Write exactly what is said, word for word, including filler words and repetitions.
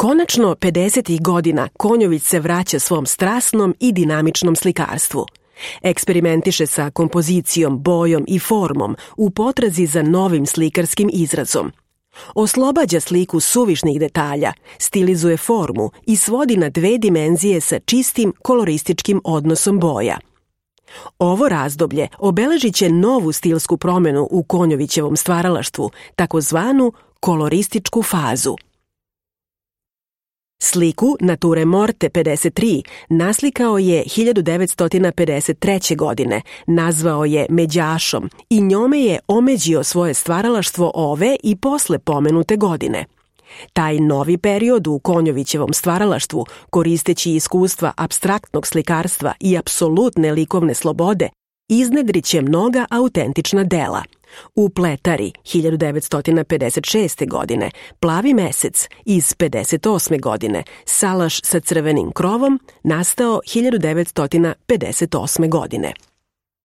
Konačno, pedesetih godina Konjović se vraća svom strasnom i dinamičnom slikarstvu. Eksperimentiše sa kompozicijom, bojom i formom u potrazi za novim slikarskim izrazom. Oslobađa sliku suvišnih detalja, stilizuje formu i svodi na dve dimenzije sa čistim kolorističkim odnosom boja. Ovo razdoblje obeležit će novu stilsku promenu u Konjovićevom stvaralaštvu, takozvanu kolorističku fazu. Sliku Nature morte pedeset tri naslikao je hiljadu devetsto pedeset treće. godine, nazvao je Međašom i njome je omeđio svoje stvaralaštvo ove i posle pomenute godine. Taj novi period u Konjovićevom stvaralaštvu, koristeći iskustva apstraktnog slikarstva i apsolutne likovne slobode, iznedriće mnoga autentična dela. U Pletari hiljadu devetsto pedeset šeste. godine, Plavi mesec iz pedeset osme. godine, Salaš sa crvenim krovom nastao hiljadu devetsto pedeset osme. godine.